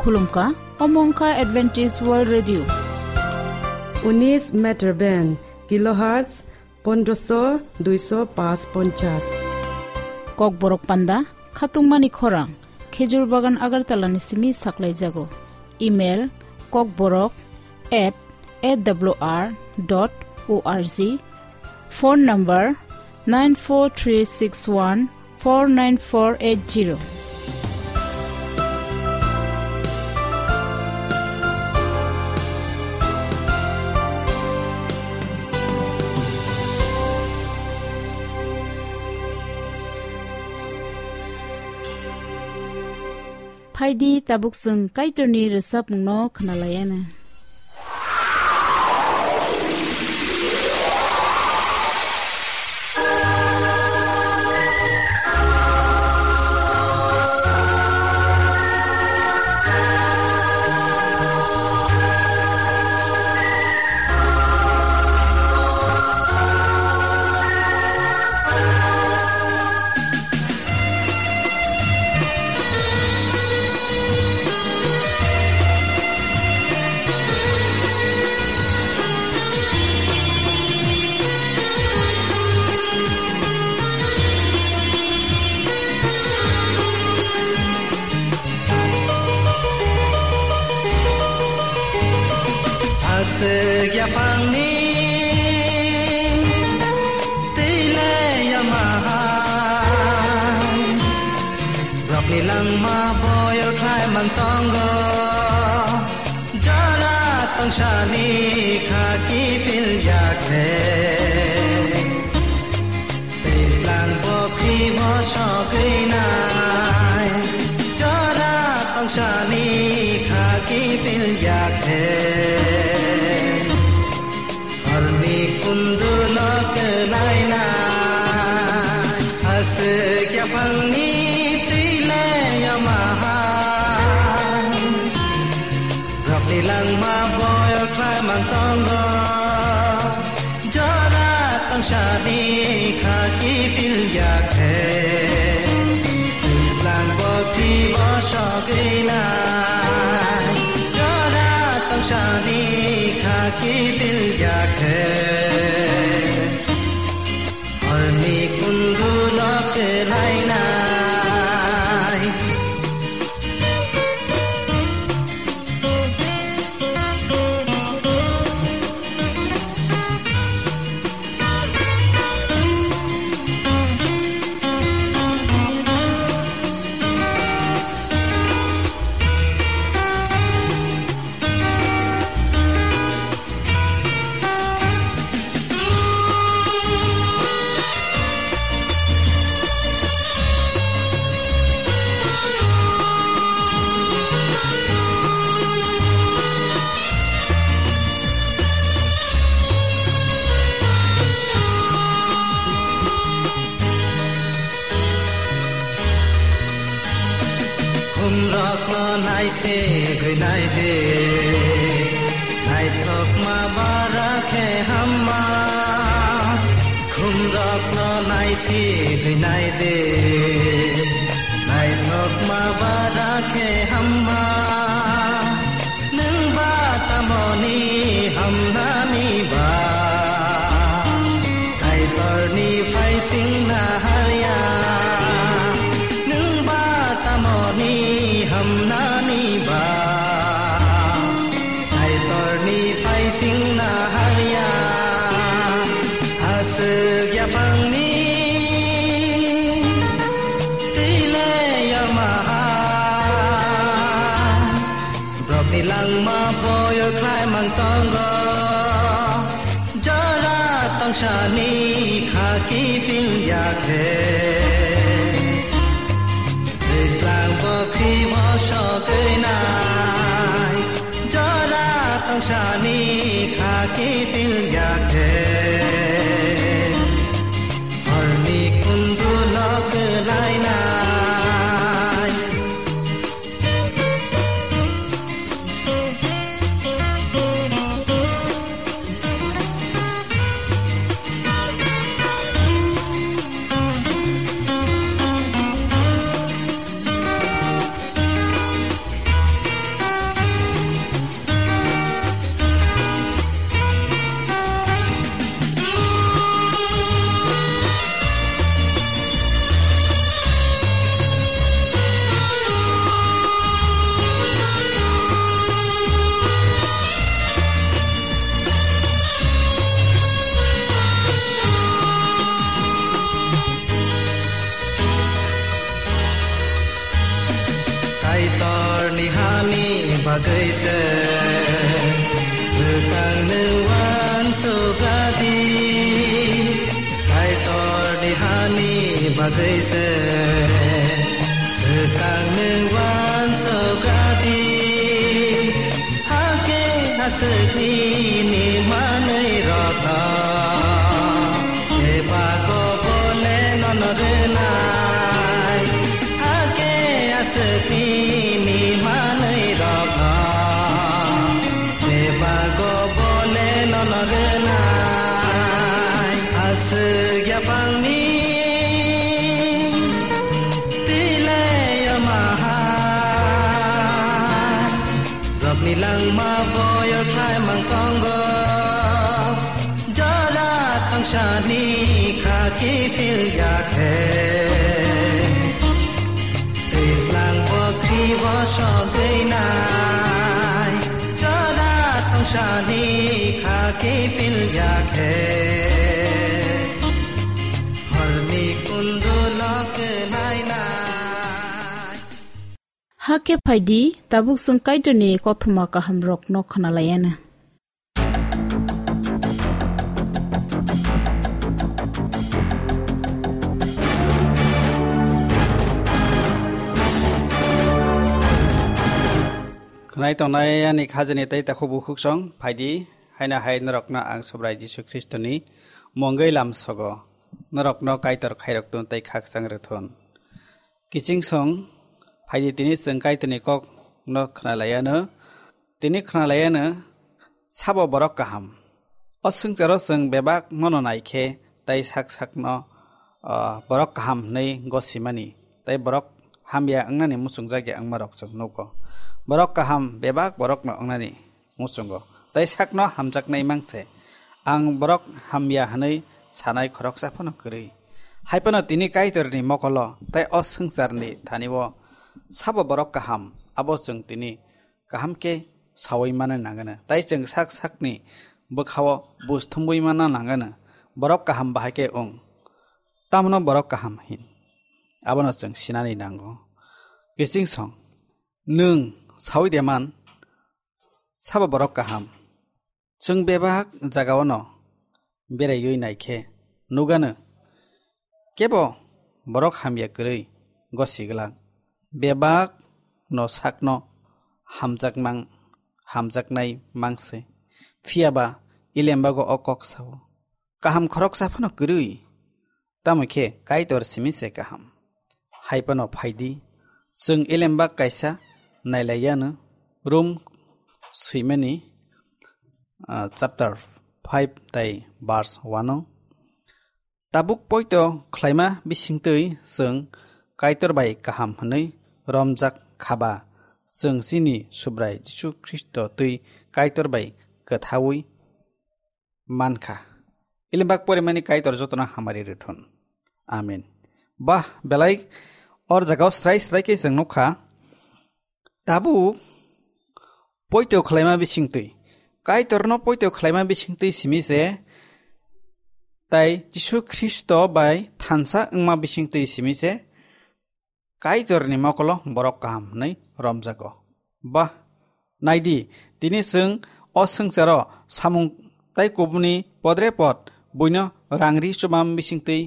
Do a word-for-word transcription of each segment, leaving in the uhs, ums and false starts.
Khulumkha, omo wngkha Adventist World Radio. Unis meter band, kilohertz pondroso duiso pas ponchas. Kokborok panda, khatungmani khorang, Khejur Bagan Agartala ni simi saklaijago. Email, kokborok at A W R dot O R G. Phone number, nine four three six one four nine four eight zero. Phaidi, tabuk chwng Kaitorni rwchapmungno khwnalaiana. Aswk yaphangni twi le yama hai, rokni langma boyol khlai mang tongo, jora tongsani kha kiphil ya khe. Twijlang bokri bo sogwi nai, jora tongsani kha kiphil ya khe. Horni kundulo kwlai nai, aswk yaphangni twi le yama hai. Rokni langma boyol khlai mang tongo, jora tongsani kha kiphil ya khe. Twijlang bokri bo sogwi nai, jora tongsani kha kiphil ya khe. Horni kundulo kwlai nai. Khumrokno naisik wi nai de, naithokma bara khe hamma. Khumrokno naisik wi nai de, naithokma bara khe hamma. Nwng ba tamoni hamnani ba? Kaitorni phaisingna harya. Nwng ba tamoni hamnani ba? Kaitorni phaisingna harya. Aswk yaphangni twi le yama hai. Borokni langma boyol khlai mang tongo, jora tongsani kha kiphil ya khe. Twijlang bokri bo sogwi nai, jora tongsani kha kiphil ya khe. Horni kundulo kwlai nai. Bagwi se swkang nwng uansukha di, Kaitorni hani bagwi se swkang nwng uansukha di. Hakhe aswk nini manwirokno bebak o bole nono rwnai. Hakhe aswk nini manwirokno bebak o bole nono rwnai. Aswk yaphangni twi lai o maha. Rokni langma boyor khlaimang tongo, jora tangsani kha kiphil ya khe. Twijlang bokri bo sogwi nai, jora tangsani kha kiphil ya khe. Horni kundu lok lai nai. Hakhe phaidi, tabuk chwng Kaitorni kothoma kahamrokno khwnalaianw. Khwnai tongnai ani khajani tei takhuk bukhuksong phaidi, haino hai norokno ang Subrai Jisu Khristoni mungwi lamsogo, norokno Kaitor khairokthun tei khakchang rwthun. Kiching song, phaidi tini chwng Kaitorni kokno khwnalaianw. Tini khwnalaianw sabo borok kaham. O swngcharo chwng bebak nono naikhe tei sak sakno, ah, borok kaham hwnwi gosimani tei borok hamya wngnani muchungjak ya wngmarok chwng nugo. Borok kaham bebak borokno wngnani muchungo, tei sakno hamjaknai mangse. Ang borok hamya hwnwi sanai khoroksa phano kwrwi. Hai phano tini Kaitorni mokolo tei o swngcharni thani-o sabo borok kaham, abo chwng tini kaham khe saui manna nangano, tei chwng sak sakni bwkha-o buj thumbui manna nangano. Borok kaham bahai khe wng, tamno borok kaham hin, abono chwng sinani nango. Kiching song, nwng saui de man, sabo borok kaham. Chwng bebak jagao'-no beraiwi naikhe nugano, kebo borok hamya kwrwi gosi glak. Bebak'-no sakno hamjakmang, hamjaknai mangse. Phiyaba Ilembago o kok sao, kaham khoroksa phano kwrwi. Tamo khe Kaitor simi se kaham. Hai phano phaidi, chwng Elembak kaisa nailaiyanw, Rom swimani, ah, chapter five tei verse one o. Tabuk poito khlaima bisingtwi chwng Kaitor bai kaham hwnwi romjak khaba, chwng chini Subrai Jisu Khristo twi Kaitor bai kwthaui mankha. Elembak porimani Kaitor jotono hamari rwthun. Amen. Bah, belai or jagao srai srai khe chwng nukha. Tabuk poito khlaima bisingtwi, Kaitorno poito khlaima bisingtwi simi se, tai Jisu Khristo bai thansa wngma bisingtwi simi se, Kaitorni mokolo borok kaham hwnwi romjago. Bah, naidi, tini chwng o swngcharo samung tai kubuni podre pod buino rangri chumam bisingtwi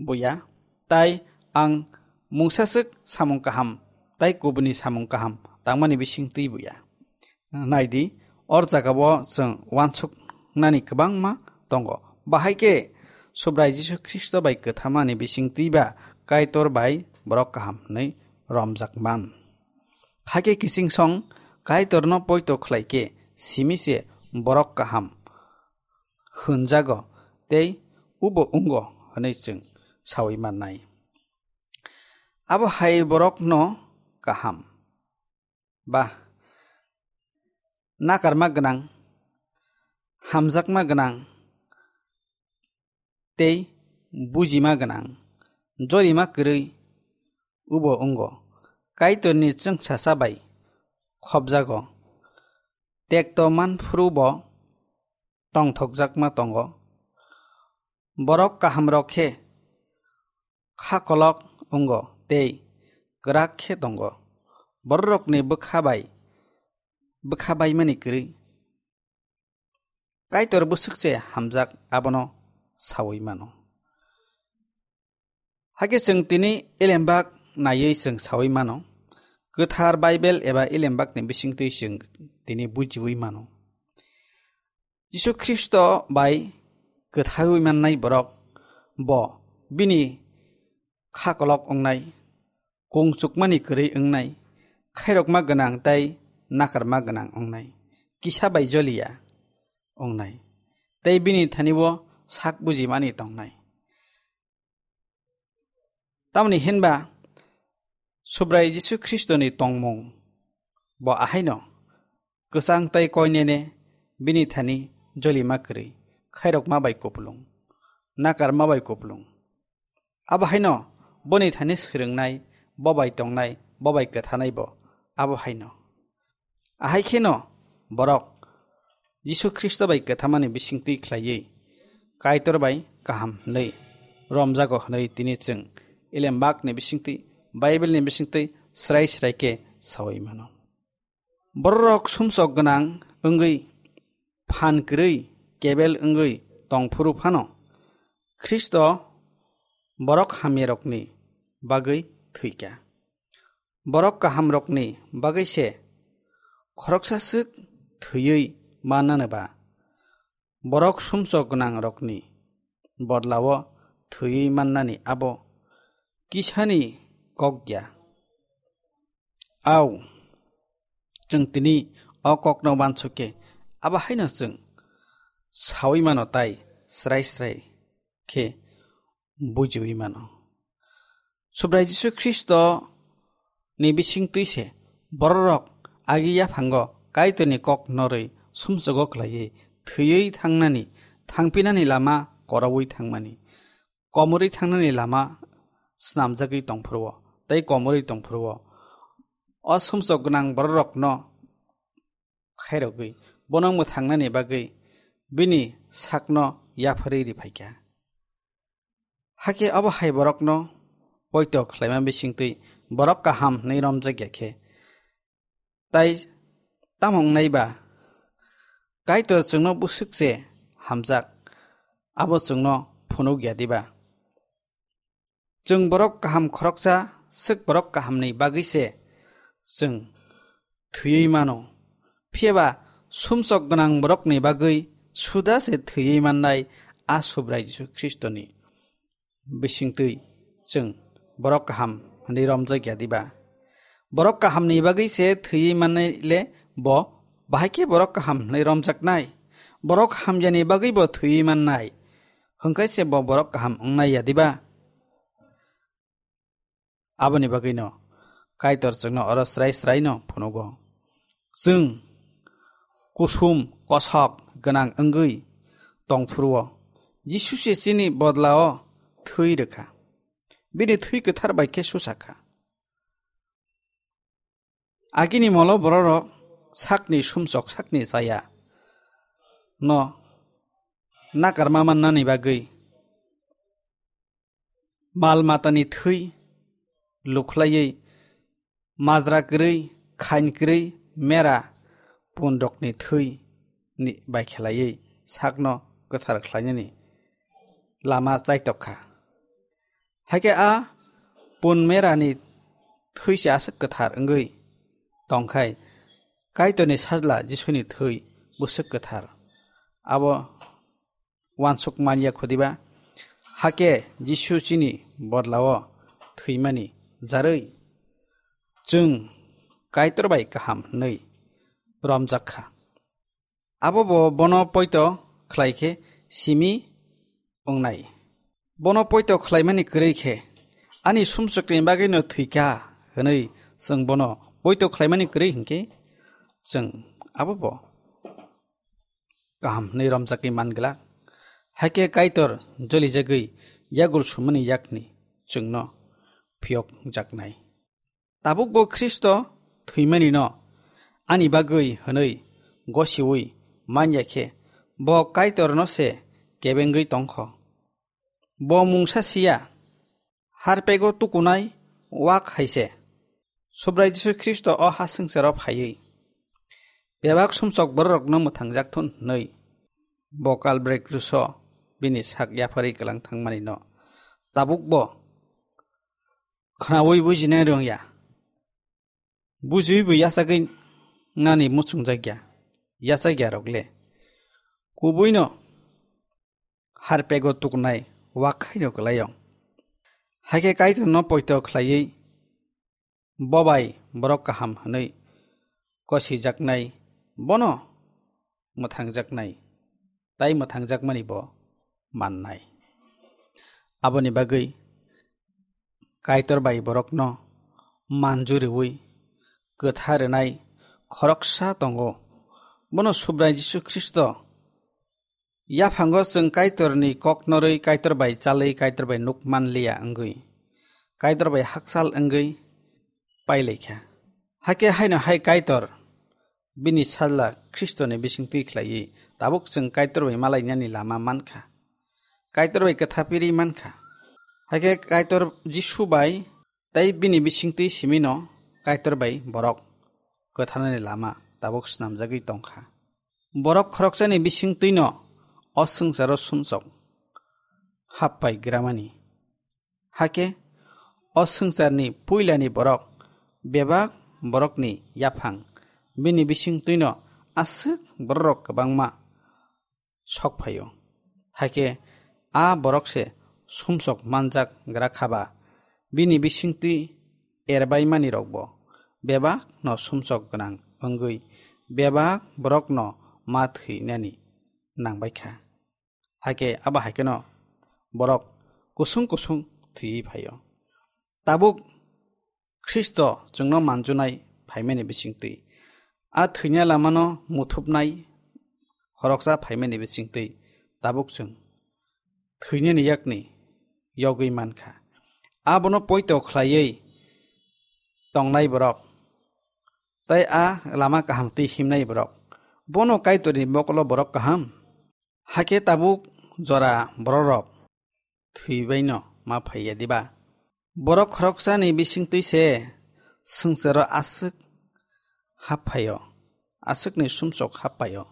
buya, tai ang mungsaswk samung kaham tai kubuni samung kaham tangmani bisingtwi buya. Naidi, or jagao chwng uansuknani kwbangma tongo. Bahai khe Subrai Jisu Khristo bai kwthamani bisingtwi ba Kaitor bai borok kaham hwnwi romjak man. Hakhe kiching song Kaitorno poito khlai khe simi se borok kaham hwnjago tei ubo wngo hwnwi chwng saui mannai. Abo hai borokno kaham ba nakarma gwnang, hamjakma gwnang tei bujima gwnang, jorima kwrwi ubo wngo. Kaitorni chwngsasa bai khopjago, tekto manphuru bo tongthokjakma tongo. Borok kahamrok khe kha kolok wngo tei kwrak khe tongo. Bororokni bwkha bai bwkha baimani kwrwi. Kaitor bwswk se hamjak abono saui mano. Hakhe chwng tini Elembak naiwi chwng saui mano. Kwthar Baibel eba Elembakni bisingtwi chwng tini bujiui mano. Jisu Khristo bai kwthaiwi mannai borok bo bini kha kolok wngnai, kung chukmani kwrwi wngnai, khairokma gwnang tei nakarma gwnang wngnai, kisa bai joliya wngnai, tei bini thani-o sak bujimani tongnai. Tamoni hinba Subrai Jisu Khristoni tongmung bo ahaino kwchang tei koinene bini thani jolima kwrwi, khairokma bai kupulung, nakarma bai kupulung. Abo haino boni thani swrwngnai, bo bai tongnai, bo bai kwthanai bo abo haino. Ahai kheno borok Jisu Khristo bai kwthamani bisingtwi khlaiwi Kaitor bai kaham hwnwi romjago hwnwi tini chwng Elembakni bisingtwi, Baibelni bisingtwi srai srai khe saui mano. Bororok sumsok gwnang wngwi, phan kwrwi, kebel wngwi tongphuru phano, Khristo borok hamyarokni bagwi thwikha. Borok kahamrokni bagwi se khoroksa swk thwiwi mannani ba, borok sumsok gwnangrokni bodlao thwiwi mannani abo kisani kok ya. Au, chwng tini o kokno uansuk khe, abo haino chwng saui mano tai srai srai khe bujiui mano. Subrai Jisu Khristo ni bisingtwi se bororok agi yaphango Kaitorni kok norwi sumsogo khlaiwi thwiwi thangnani, thangpinani lama koroui thangmani, komorwi thangnani lama snamjagwi tongphuru-o tei komorwi tongphuru-o. O sumsok gwnang bororokno khairogwi bono mwthangnani bagwi bini sakno yapharwi riphaikha. Hakhe abo hai borokno poito khlaima bisingtwi borok kaham hwnwi romjakya khe, tai tamo wngnai ba? Kaitor chwngno bwswk se hamjak, abo chwngno phunuk ya diba? Chwng borok kaham khoroksa, swk borok kahamni bagwi se chwng thwiwi mano. Phiya ba sumsok gwnang borokni bagwi suda se thwiwi mannai a Subrai Jisu Khristoni bisingtwi chwng borok kaham hwnwi romjak ya diba? Borok kahamni bagwi se thwiwi mannai le bo bahai khe borok kaham hwnwi romjaknai? Borok hamyani bagwi bo thwiwi mannai, hwnkhai se bo borok kaham wngnai ya diba? Aboni bagwino Kaitor chwngno oro srai sraino phunugo. Chwng kusum kosok gwnang wngwi tongphuru-o Jisu se chini bodlao thwi rwkha. Bini thwi kwthar bai khe susa kha. Agini molo bororok sakni sumsok sakni chaya no nakarma mannani bagwi mal matani thwi lukhlaiwi, majra kwrwi, khain kwrwi, mera punrokni thwi ni bai khelaiwi sakno kwthar khlainani lama chaitok kha. Hakhe a pun merani thwi se aswk kwthar wngwi tongkhai, Kaitorni Sajla Jisuni thwi bwswk kwthar. Abo uansuk man ya kho diba? Hakhe Jisu chini bodlao thwimani jarwi chwng Kaitor bai kaham hwnwi romjak kha. Abo bo bono poito khlai khe simi wngnai. Bono poito khlaimani kwrwi khe, "Ani sumsokni bagwino thwi kha," hwnwi chwng bono poito khlaimani kwrwi hinkhe, chwng abo bo kaham hwnwi romjakwi man glak. Hakhe Kaitor jolijagwi yagul sumani yakni chwngno phiyokjaknai. Tabuk bo Khristo thwimanino ani bagwi hwnwi gosiui man ya khe, bo Kaitorno se kebengwi tong kho. Bo mungsa si ya, harpego tukunai wak hai se. Subrai Jisu Khristo o ha swngcharo phaiwi Bebak sumsok bororokno mwthangjak thun hwnwi bo Kalbari kruso bini sak yapharwi kwlang thangmanino tabukbo khwnaui bujinai rwngya. Bujiui bo yachagwi nani muchungjak ya, yachak ya rok le. Kubuino harpego tuknai wakhaino kwlaio. Hakhe Kaitorno poito khlaiwi bobai borok kaham hwnwi kosijaknai, bono mwthangjaknai, tai mwthangjakmani bo mannai. Aboni bagwi Kaitor bai borokno manju rwui kwtha rwnai khoroksa tongo. Bono Subrai Jisu Khristo yaphango chwng Kaitorni kok norwi Kaitor bai chalwi Kaitor bai nuk manliya wngwi, Kaitor bai hakchal wngwi pailaikha. Hakhe haino hai Kaitor bini sajla Khristoni bisingtwi khlaiwi tabuk chwng Kaitor bai malainani lama mankha. Kaitor bai kwthapiri mankha. Hakhe Kaitor Jisu bai tei bini bisingtwi simino Kaitor bai borok kwtharnani lama tabuk snamjagwi tongkha. Borok khoroksani bisingtwino o swngcharo sumsok happai gramani. Hakhe o swngcharni puilani borok bebak borokni yaphang bini bisingtwino aswk bororok kwbangma sok phaio. Hakhe a borok se sumsok manjak gra khaba, bini bisingtwi erbaimani rokbo bebak no sumsok gwnang wngwi bebak borok no ma thwinani nangbai kha. Hakhe abo hai kheno borok kusung kusung thwiwi phaio. Tabuk Khristo chwngno manjunai phaimani bisingtwi, a thwina lamano muthupnai khoroksa phaimani bisingtwi tabuk chwng thwinani yakni yogwi mankha. Abono poito khlaiwi tongnai borok tei a lama kaham twi himnai borok, bono Kaitorni mokolo borok kaham. Hakhe tabuk jora bororok thwibaino ma phaiya diba? Borok khoroksani bisingtwi se swngcharo aswk hap phaio, aswkni sumsok hap paio.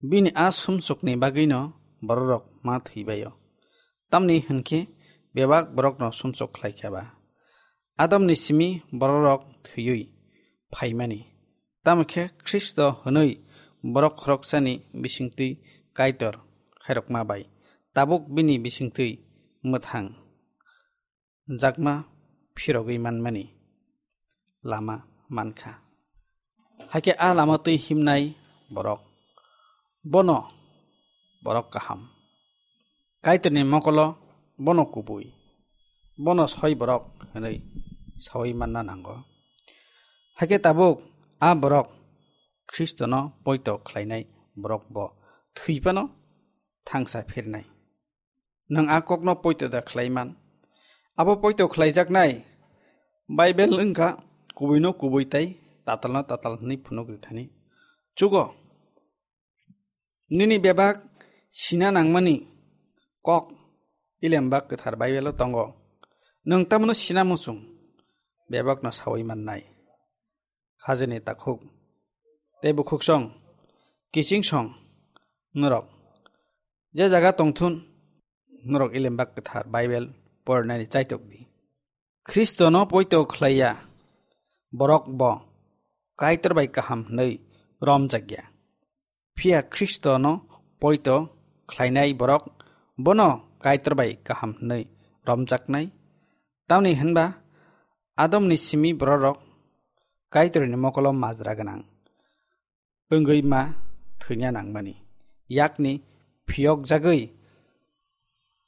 Bini a sumsokni bagwino bororok ma thwibaio. Tamni hwnkhe bebak borokno sumsok khlai kha ba. Adamni simi bororok thwiwi phaimani. Tamo khe Khristo hwnwi borok khoroksani bisingtwi Kaitor khairokma bai tabuk bini bisingtwi mwthang jakma phirogwi manmani lama mankha. Hakhe a lama twi himnai borok, bono borok kaham. Kaitorni mokolo bono kubui, bono soi borok hwnwi saui manna nango. Hakhe tabuk a borok Khristono poito khlainai borok bo thwi phano thangsa phirnai. Nwng a kokno poito da khlai man? Abo poito khlaijaknai Baibel wngkha kubuino kubui tei tatalno tatal hwnwi phunuk rithani. Chugo, nini bebak sina nangmani kok Ilembak Kwthar Baibelo tongo. Nwng tamno sina muchung, bebakno saui mannai. Hajeni takhuk tei bukhuksong, kichingsong norok je jaga tongthun, norok Ilembak Kwthar Baibel porinani chaitok di. Khristono poito khlaiya borok bo Kaitor bai kaham hwnwi romjakya. Phiya Khristono poito khlainai borok bono Kaitor bai kaham hwnwi romjaknai. Tamni hwnba Adamni simi bororok Kaitorni mokolo majra gwnang wngwi ma thwina nangmani, yakni phiyokjagwi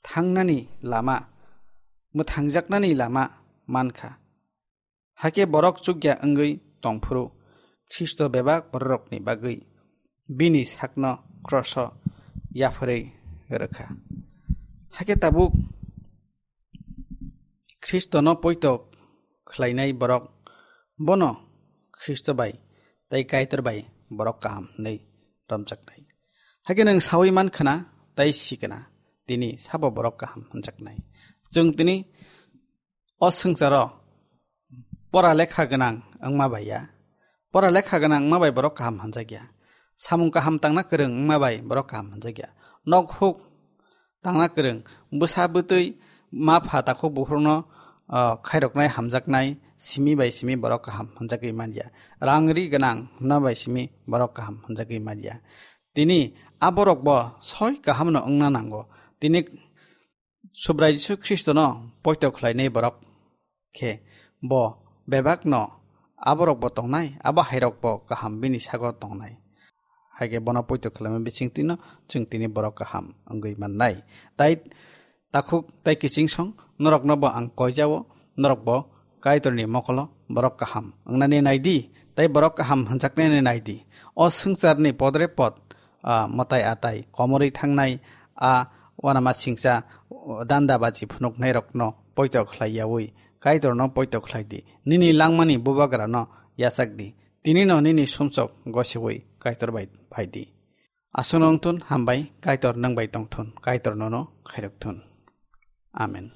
thangnani lama, mwthangjaknani lama mankha. Hakhe borok chukya wngwi tongphuru Khristo bebak bororokni bagwi bini sakno kroso yapharwi rwkha. Hakhe tabuk Khristono poito khlainai borok bono Khristo bai tei Kaitor bai borok kaham hwnwi romjaknai. Hakhe nwng saui man khna tei si khna tini sabo borok kaham hwnjaknai. Chwng tini o swngcharo pora lekha gwnang wngma bai ya, Pora lekha gwnang wngma bai borok kaham hwnjakya. Samung kaham tangna kwrwng wngma bai borok kaham hwnjakya. Nok huk tangna kwrwng, bwsa bwtwi, ma pha takhuk bukhukno, ah, khairoknai hamjaknai simi bai simi borok kaham hwnjagwi manya. Rang ri gwnang hwnma bai simi borok kaham hwnjagwi manya. Tini a borok bo soi kaham no wngna nango. Tini Subrai Jisu Khristo no poito khlainai borok khe bo bebak no a borok bo tongnai, abo hairok bo kaham bini sago tongnai. Haikhe bono poito khlaima bisingtwi no chwng tini borok kaham wngwi mannai. Tai takhuk tai kiching song norok no bo ang koijao, norok bo Kaitor ni mokolo borok kaham wngnani nai di, tai borok kaham hwnjaknani nai di. O swngchar ni podre pod, ah, mwtai atai komorwi thangnai, a uanama singcha, danda baji phunuknai rok no poito khlai yaui Kaitor no poito khlai di. Nini langmani bubagra no yachak di. Tini no nini sumsok gosiui Kaitor bai phai di. Aswkno wng thun, hambai, Kaitor nwng bai tong thun, Kaitor nono khairok thun. Amen.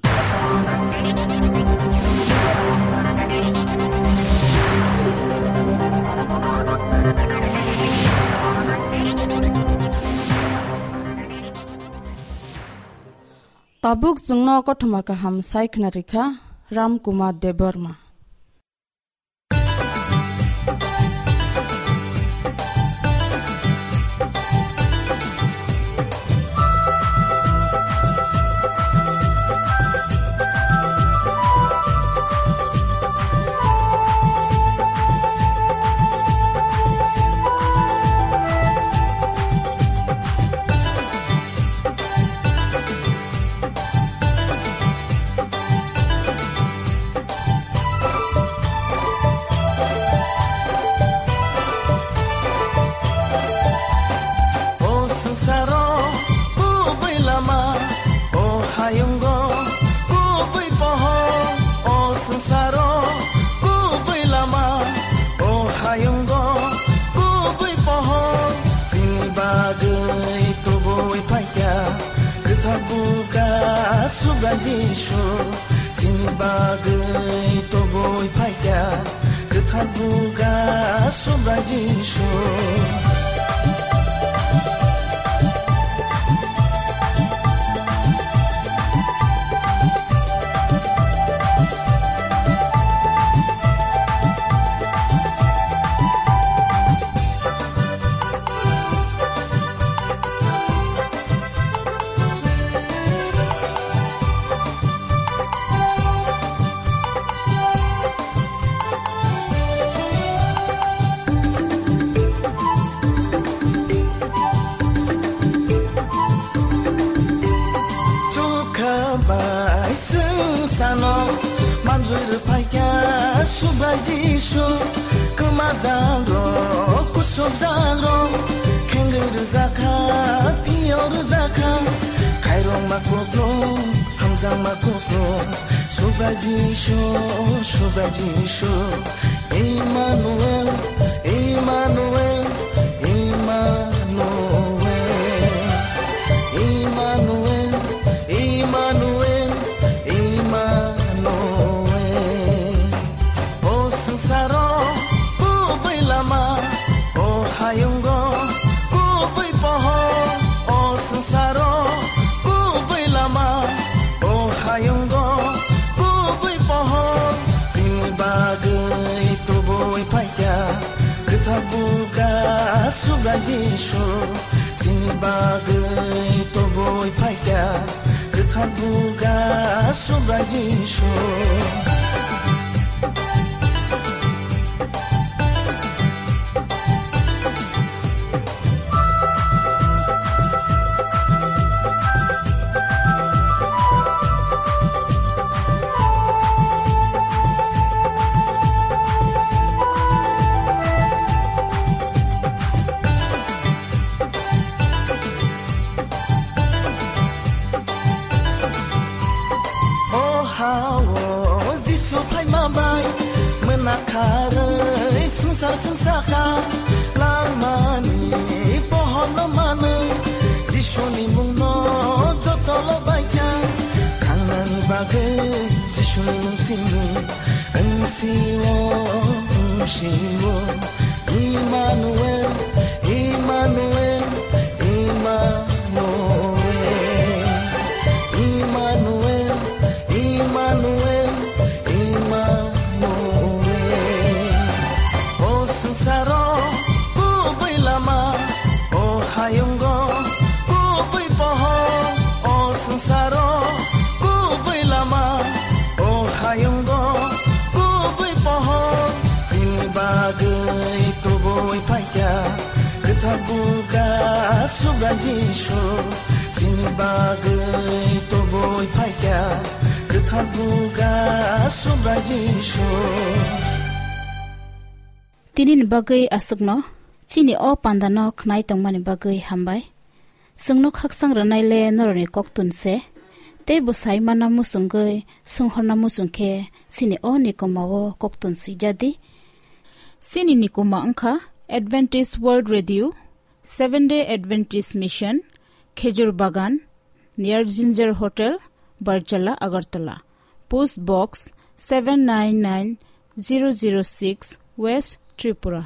Tabuk chwngno kothoma kaham sai khna rikha Ram Kumar Debbarma. O swngsaro kubui lama, o hayungo kubui pohor, o swngsaro kubui lama, o hayungo kubui pohor, chini bagwi tubui phaikha, kwthar buga Subrai Jisu, chini bagwi tubui phaikha, kwthar buga Subrai Jisu. Chukha bai swngsano manjui rwphaikha Subrai Jisu. Kwmajak rok, kusubjak rok, khengwi rwjakha, phiyo rwjakha. Khairokma kuplung, hamjakma kuplung, Subrai Jisu, Subrai Jisu. Emmanuel, Emmanuel, Emmanuel, Emmanuel, Emmanuel, Emmanuel. O swngsaro kubui lama, o hayungo kubui pohor, o swngsaro kubui lama, o hayungo kubui pohor, chini bagwi tubui phaikha, kwthar buga Subrai Jisu, chini bagwi tubui phaikha, kwthar buga Subrai Jisu. O ha-o Jisu phaima bai, mwnak kharwi swngchar swngchakha, langmani pohorno manwi, Jisuni mungno joto lobaikha, thangnani bagwi Jisuni mung simi, wngsio, wngsio. Subrai Jisu, chini bagwi tubui phaikha, kwthar buga Subrai Jisu. Tinini bagwi aswkno, chini o pandano khnai tongmani bagwi hambai. Chwngno khaksang rwnai le norokni koktun se, tei bo sai mana muchungwi, songhorna muchung khe chini o nikoma o koktun swijadi. Chini nikoma wngkha Adventist World Radio, Seventh Day Adventist Mission, Khejur Bagan, near Ginger Hotel, Barjala, Agartala. Post Box seven nine nine zero zero six, West Tripura.